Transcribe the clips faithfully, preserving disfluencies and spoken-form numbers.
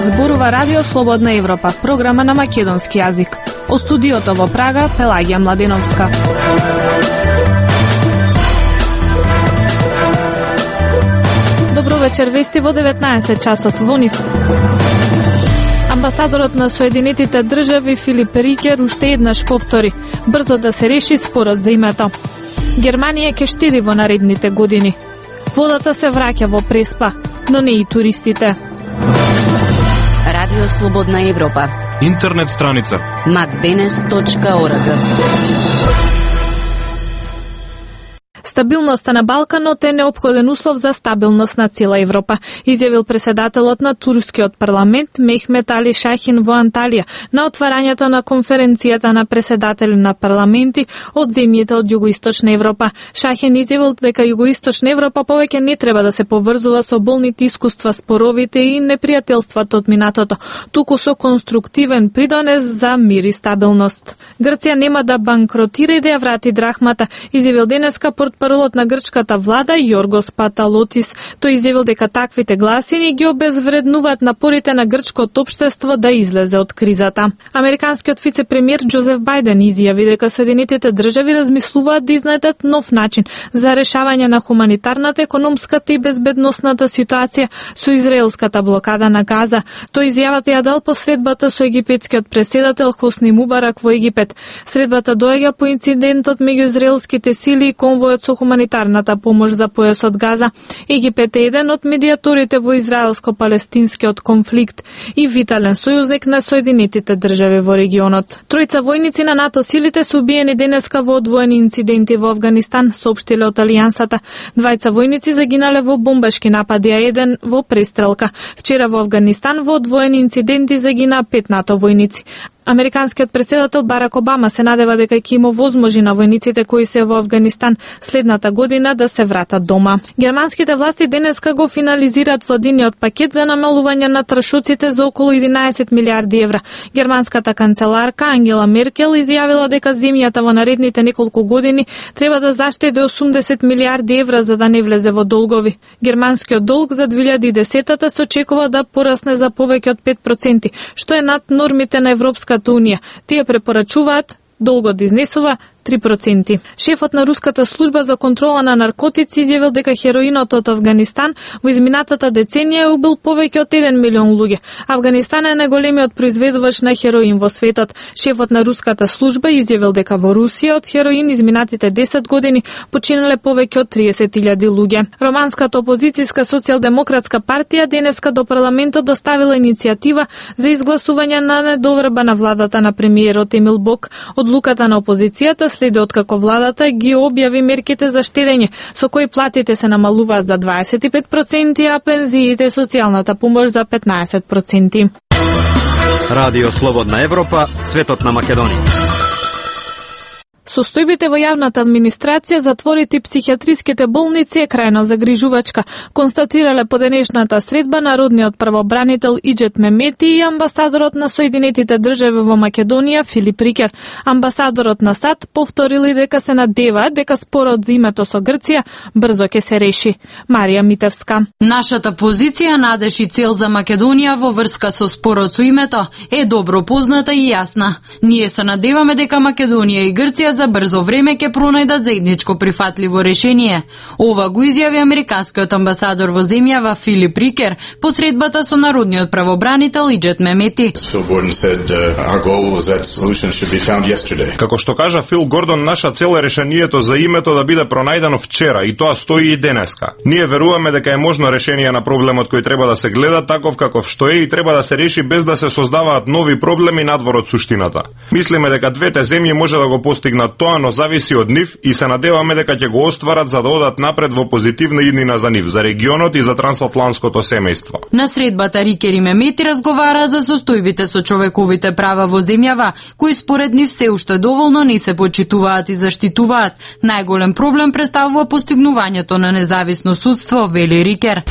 Зборува Радио Слободна Европа, програма на македонски јазик. О студиото во Прага, Пелагија Младеновска. Добро вечер, вести во деветнаесет часот во НИФ. Амбасадорот на Соединетите држави Филип Рикер уште еднаш повтори брзо да се реши спорот за името. Германија ќе штеди во наредните години. Водата се враќа во Преспа, но не и туристите. Радио Слободна Европа. Интернет страница макденес точка орг. Стабилноста на Балканот е неопходен услов за стабилност на цела Европа, изјавил преседателот на турскиот парламент Мехмет Али Шахин во Анталија на отварањето на конференцијата на преседатели на парламенти од земјите од југоисточна Европа. Шахин изјавил дека југоисточна Европа повеќе не треба да се поврзува со болните искуства, споровите и непријателствата од минатото, туку со конструктивен придонес за мир и стабилност. Грција нема да банкротира и да ја врати драхмата, изјавил денеска портпаролот на грчката влада Јоргос Паталотис. Тој изјавил дека таквите гласини ги обезвреднуваат напорите на грчкото општество да излезе од кризата. Американскиот вице-премиер Џозеф Бајден изјави дека Соединетите држави размислуваат да изнајдат нов начин за решавање на хуманитарната, економската и безбедносната ситуација со израелската блокада на Газа. Тој изјавата ја дал по средбата со египетскиот преседател Хосни Мубарак во Египет. Средбата доаѓа по инцидентот меѓу израелските сили и конвојот со хуманитарната помош за појасот Газа. Египет е еден од медијаторите во израелско-палестинскиот конфликт и витален сојузник на Соединетите држави во регионот. Тројца војници на НАТО силите се убиени денеска во одвоени инциденти во Авганистан, соопштиле од Алијансата. Двајца војници загинале во бомбашки напади, а еден во престрелка. Вчера во Авганистан во одвоени инциденти загина пет НАТО војници. Американскиот преседател Барак Обама се надева дека ќе има возможи на војниците кои се во Авганистан следната година да се вратат дома. Германските власти денеска го финализираат владиниот пакет за намалување на трошоците за околу единаесет милиарди евра. Германската канцеларка Ангела Меркел изјавила дека земјата во наредните неколку години треба да заштеди осумдесет милиарди евра за да не влезе во долгови. Германскиот долг за две илјади и десета се очекува да порасне за повеќе од пет проценти, што е над нормите на Европската Унија. Тие препорачуваат долгот да изнесува три проценти. Шефот на руската служба за контрола на наркотици изјавил дека хероинот од Авганистан во изминатата деценија е убил повеќе од еден милион луѓе. Авганистан е најголемиот произведувач на хероин во светот. Шефот на руската служба изјавил дека во Русија од хероин изминатите десет години починале повеќе од триесет илјади луѓе. Романската опозицијска социјалдемократска партија денеска до парламентот доставила иницијатива за изгласување на недоверба на владата на премиерот Емил Бок. Одлуката на опозицијата следи откако владата ги објави мерките за штедење, со кои платите се намалуваат за дваесет и пет проценти, а пензиите и социјалната помош за петнаесет проценти. Радио Слободна Европа, светот на Македонија. Состојбите во јавната администрација, затворите и психијатриските болници е крајно загрижувачка, констатирале по денешната средба народниот правобранител Иџет Мемети и амбасадорот на Соединетите држави во Македонија Филип Рикер. Амбасадорот на САД повторили дека се надеваат дека спорот за името со Грција брзо ќе се реши. Марија Митевска. Нашата позиција, надеж и цел за Македонија во врска со спорот со името е добро позната и јасна. Ние се надеваме дека Македонија и Грција за брзо време ќе пронајдат заедничко прифатливо решение. Ова го изјави американскиот амбасадор во земјава Филип Рикер по средбата со народниот правобранител Иџет Мемети. Како што кажа Фил Гордон, наша цел е решението за името да биде пронајдено вчера и тоа стои и денеска. Ние веруваме дека е можно решение на проблемот кој треба да се гледа таков каков што е и треба да се реши без да се создаваат нови проблеми надвор од суштината. Мислиме дека двете земји може да го постигнат тоа, но зависи од нив и се надеваме дека ќе го остварат за да одат напред во позитивна иднина за нив, за регионот и за трансатлантското семејство. На средбата Рикер и Мемети разговара за состојбите со човековите права во земјава, кои според нив се уште доволно не се почитуваат и заштитуваат. Најголем проблем представува постигнувањето на независно судство, вели Рикер.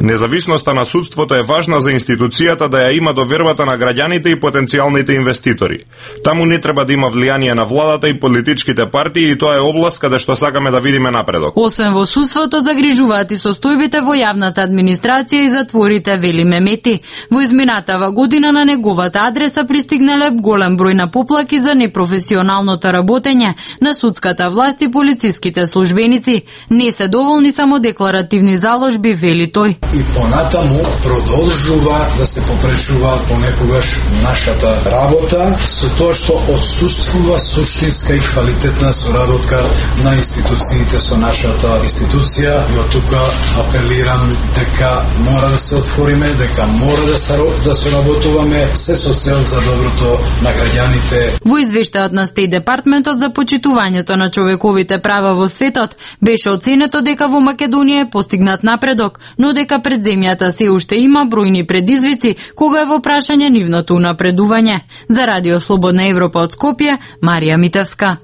Независноста на судството е важна за институцијата да ја има довербата на граѓаните и потенцијалните потенцијалните инвеститори. Таму не треба да има влијание на владата и политичките партии и тоа е област каде што сакаме да видиме напредок. Освен во судството загрижуваат и состојбите во јавната администрација и затворите, вели Мемети. Во изминатава година на неговата адреса пристигнале голем број на поплаки за непрофесионалното работење на судската власт и полициските службеници. Не се доволни само декларативни заложби, вели тој. И понатаму продолжува да се попречува понекогаш нашата работа со тоа што отсуствува суштинска и квалитетна соработка на институциите со нашата институција. И од тука апелирам дека мора да се отвориме, дека мора да се да соработуваме се со цел за доброто на граѓаните. Во извештајот на Стејт Департментот за почитувањето на човековите права во светот беше оценето дека во Македонија е постигнат напредок, но дека пред земјата се уште има бројни предизвици кога е во прашање нивното унапредување. За Радио Слободна Европа од Скопје, Марија Митевска.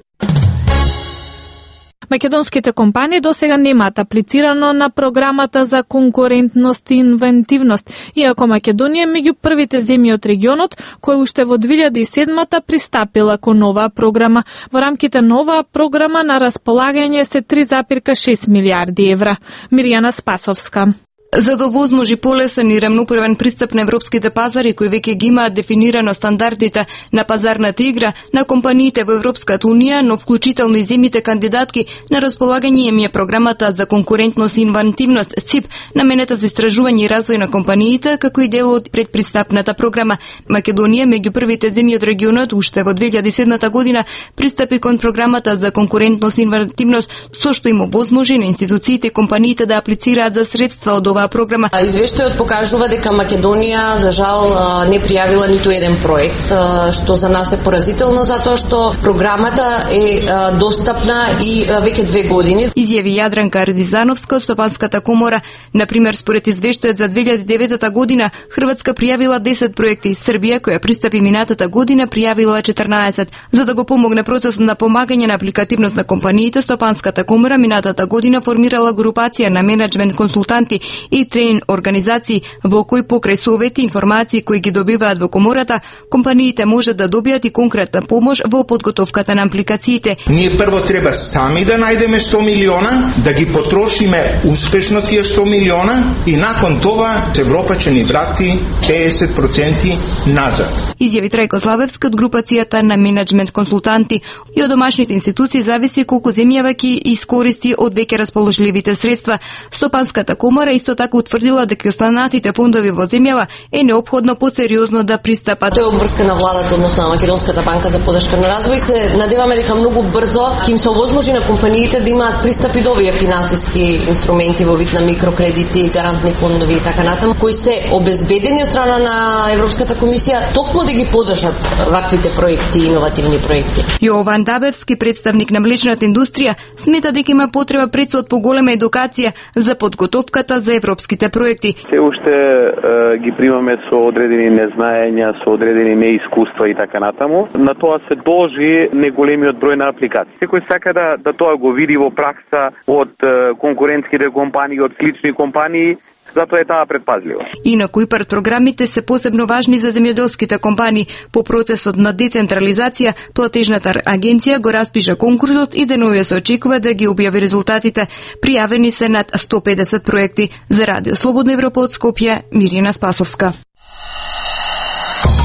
Македонските компании досега немаат аплицирано на програмата за конкурентност и инвентивност, иако Македонија е меѓу првите земји од регионот кои уште во две илјади и седма пристапила кон новаа програма. Во рамките на оваа програма на располагање се три зарез шест милијарди евра. Мирјана Спасовска. За да овозможи полесен и рамноправен пристап на европските пазари кои веќе ги имаат дефинирано стандардите на пазарната игра на компаниите во Европската унија, но вклучително и земјите кандидатки, на располагање им е програмата за конкурентност и инвентивност ЦИП, наменета за истражување и развој на компаниите, како и дел од предпристапната програма. Македонија меѓу првите земји од регионот уште во две илјади и седма година пристапи кон програмата за конкурентност и инвентивност, со што им овозможи на институциите и компаниите да аплицираат за средства од ова програма. Извештајот покажува дека Македонија за жал не пријавила ниту еден проект, што за нас е поразително затоа што програмата е достапна и веќе две години. Изјави Јадранка Ардизановска од Стопанската комора. Например, според извештајот за две илјади и девета година, Хрватска пријавила десет проекти, Србија, која пристапи минатата година, пријавила четрнаесет. За да го помогне процесот на помагање на апликативност на компаниите, Стопанската комора минатата година формирала групација на менеджмент консултанти и тренинг организации во кои покрај совети и информации кои ги добиваат во комората, компаниите можат да добијат и конкретна помош во подготовката на апликациите. Ние прво треба сами да најдеме сто милиона, да ги потрошиме успешно тие сто милиона и након тоа Европа ќе ни врати педесет проценти назад. Изјави Трајко Славевски од групацијата на менеджмент консултанти. И од домашните институции зависи колку земјава ќе искористи од веќе расположливите средства. Стопанската комора исто така утврдила дека останатите фондови во земјава е неопходно посериозно да пристапат. Тоа е обврска на владата, односно на Македонската банка за поддршка на развој. Се надеваме дека многу брзо ќе им се овозможи на компаниите да имаат пристапи до овие финансиски инструменти во вид на микрокредити, гарантни фондови и така натаму, кои се обезбедени од страна на Европската комисија токму да ги поддржат ваквите проекти и иновативни проекти. Јован Дабевски, представник на млечната индустрија, смета дека има потреба пред од поголема едукација за подготовката за европските проекти. Се уште е, ги примаме со одредени незнаења, со одредени неискуства и така натаму. На тоа се должи неголемиот број на апликации. Секој сака да, да тоа го види во пракса од е, конкурентските компании, од слични компании, затоа е таа предпазлива. Инаку и ИПАР програмите се посебно важни за земјоделските компании. По процесот на децентрализација, платежната агенција го распиша конкурсот и деновија се очекува да ги објави резултатите. Пријавени се над сто педесет проекти. За Радио Слободна Европа од Скопје, Мирина Спасовска.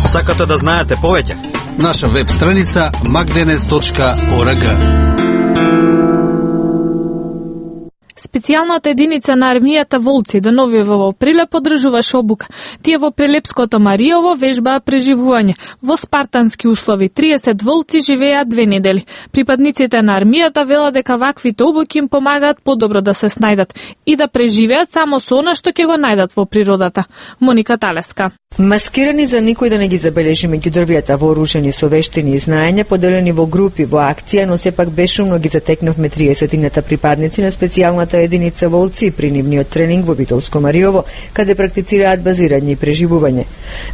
Сакате да знаете повеќе? Наша веб страница макденес точка орг. Специјалната единица на армијата Волци деновива во Прилеп одржуваше обука. Тие во Прилепското Мариово вежбаа преживување. Во спартански услови триесет волци живеат две недели. Припадниците на армијата велат дека ваквите обуки им помагаат подобро да се снајдат и да преживеат само со она што ќе го најдат во природата. Моника Талеска. Маскирани за никој да не ги забележи меѓу дрвјата, вооружени со вештини и знаење, поделени во групи во акција, но сепак бешумно ги затекнавме триесетината припадници на специјалната специјалната единица Волци при нивниот тренинг во Битолско Мариово, каде практицираат базирање и преживување.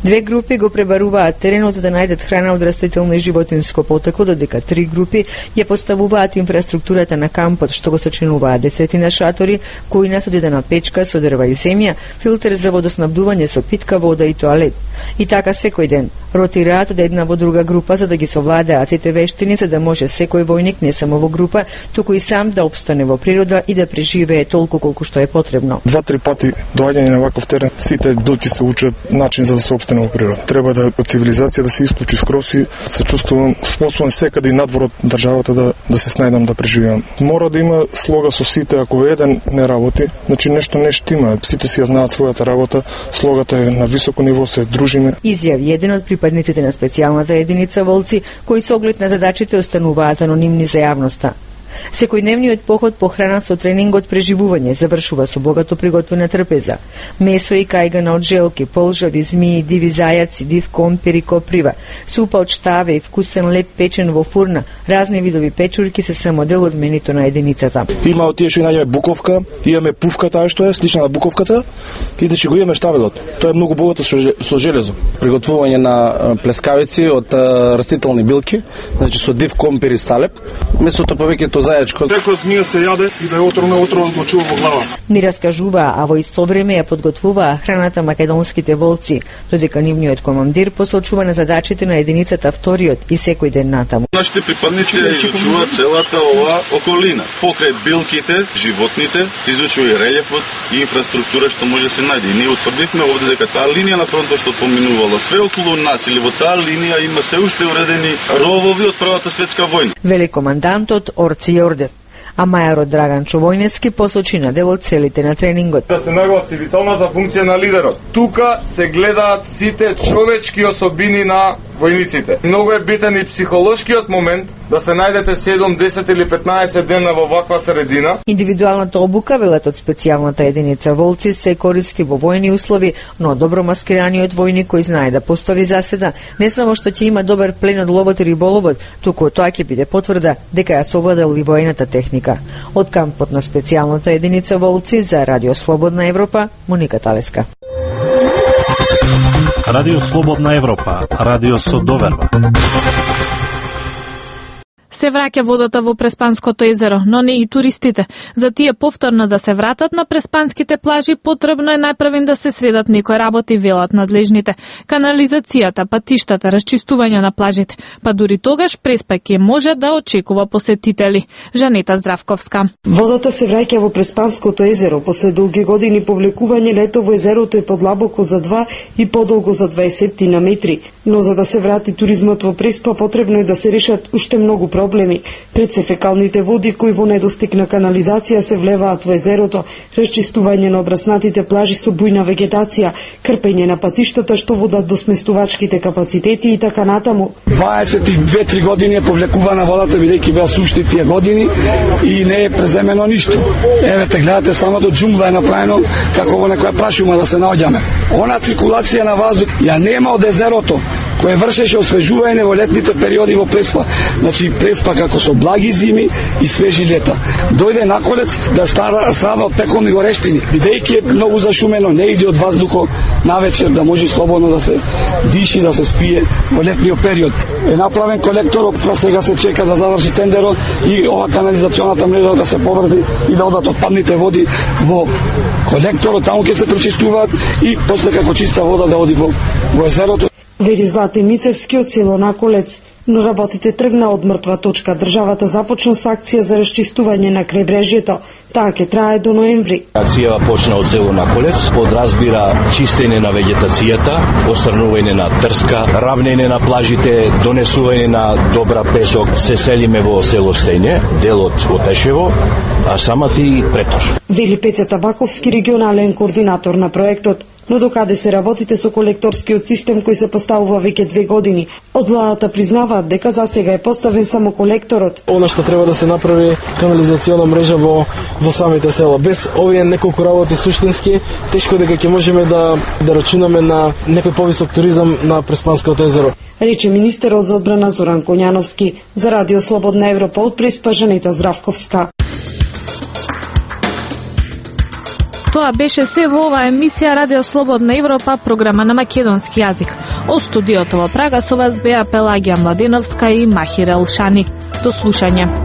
Две групи го пребаруваат теренот за да најдат храна од растително и животинско потекло, додека три групи ја поставуваат инфраструктурата на кампот, што го сочинуваат десетина шатори, којна со дедена печка со дрва и земја, филтер за водоснабдување со питка вода и тоалет. И така секој ден ротираат од една во друга група за да ги совладеат сите вештини, за да може секој војник не само во група, туку и сам да опстане во природа и да преживее толку колку што е потребно. Два-три пати доаѓање на ваков терен, сите билки се учат начин за да се опстане во природа. Треба да од цивилизација да се исклучи скрос и се чувствувам способен секаде и надвор од државата да да се снајдам да преживеам. Мора да има слога со сите, ако еден не работи, значи нешто не штима. Сите си ја знаат својата работа, слогата е на високо ниво, се дружиме. Изјави еден од припадниците на специјалната единица Волци, кои со оглед на задачите остануваат анонимни за јавноста. Секојдневниот поход по храна со тренингот преживување завршува со богато приготвена трпеза. Месо и кајгана од желки, полжави, змии, диви зајаци, див компир и коприва, супа од штаве и вкусен леп печен во фурна, разни видови печурки се само дел од менито на единицата. Има од тие што најдеме буковка, имаме пувка таа што е слична на буковката, и значи го имаме штавелот. Тоа е многу богато со железо. Приготвување на плескавици од растителни билки, значи со див компир и салеп. Месото повеќето зајачко. Секој змија се јаде и да е отровно отровно го чува во глава. Ни раскажуваа, а во исто време ја подготвуваа храната македонските волци, додека нивниот командир посочува на задачите на единицата вториот и секој ден натаму. Нашите припадници ја изучуваат целата ова околина. Покрај билките, животните, изучува и релјефот и инфраструктура што може да се најде. И ние утврдивме овде дека таа линија на фронтот што поминувала све околу нас или во таа линија има се уште уредени ровови од Првата светска војна. Вели командантот Орци Јордев. А мајорот Драган Човојнески посочи на дел од целите на тренингот. Да се нагласи виталната функција на лидерот. Тука се гледаат сите човечки особини на војниците. Многу е битен и психолошкиот момент да се најдете седум, десет или петнаесет дена во ваква средина. Индивидуалната обука, велат од специјалната единица Волци, се користи во војни услови, но добро маскираниот војник кој знае да постави заседа, не само што ќе има добар плен од ловот и риболовот, туку тоа ќе биде потврда дека ја совладал и војната техника. Од кампот на специјалната единица Волци за Радио Слободна Европа, Моника Талеска. Радио Слободна Европа, радио со доверба. Се враќа водата во Преспанското езеро, но не и туристите. За тие повторно да се вратат на преспанските плажи, потребно е најпрвен да се средат некои работи, велат надлежните. Канализацијата, патиштата, расчистување на плажите, па дури тогаш Преспа ќе може да очекува посетители. Жанета Здравковска. Водата се враќа во Преспанското езеро после долги години повлекување. Лето во езерото е подлабоко за два и подолго за дваесет на метри, но за да се врати туризмот во Преспа потребно е да се решат уште многу проблеми. Пред се фекалните води кои во недостиг на канализација се влеваат во езерото, расчистување на обраснатите плажи со бујна вегетација, крпење на патиштата што водат до сместувачките капацитети и така натаму. дваесет и две-три години е повлекувана водата, бидејќи беа сушти тие години и не е преземено ништо. Еве те гледате, само до џунгла е направено како во некоја прашума да се наоѓаме. Она циркулација на воздух ја нема од езерото, кој вршеше освежување во летните периоди во Преспа. Значи Преспа како со благи зими и свежи лета. Дојде на колец да стара страда од пеколни горештини, бидејќи е многу зашумено, не иде од воздухот навечер да може слободно да се диши, да се спие во летниот период. Е направен колектор, сега се чека да заврши тендерот и ова канализационата мрежа да се поврзи и да одат отпадните води во колекторот, таму ќе се пречистуваат и после како чиста вода да оди во, во езерото. Вели Злате Мицевски од село Наколец, но работите тргна од мртва точка. Државата започна со акција за расчистување на крајбрежјето. Таа ќе трае до ноември. Акцијава почна од село Наколец, подразбира чистење на вегетацијата, отстранување на трска, равнење на плажите, донесување на добра песок. Се селиме во село Стење, делот од Тешево, а самата и Претор. Вели Пеце Табаковски, регионален координатор на проектот. Но докаде се работите со колекторскиот систем кој се поставува веќе две години? Од владата признаваат дека за сега е поставен само колекторот. Она што треба да се направи канализациона мрежа во во самите села. Без овие неколку работи суштински, тешко дека ќе можеме да да рачунаме на некој повисок туризам на Преспанското езеро. Рече министерот за одбрана Зоран Коњановски. За Радио Слободна Европа од Преспа, Жанета Здравковска. Тоа беше се во оваа емисија Радио Слободна Европа, програма на македонски јазик. О студиото во Прага со вас беа Пелагија Младеновска и Махир Елшани. До слушање.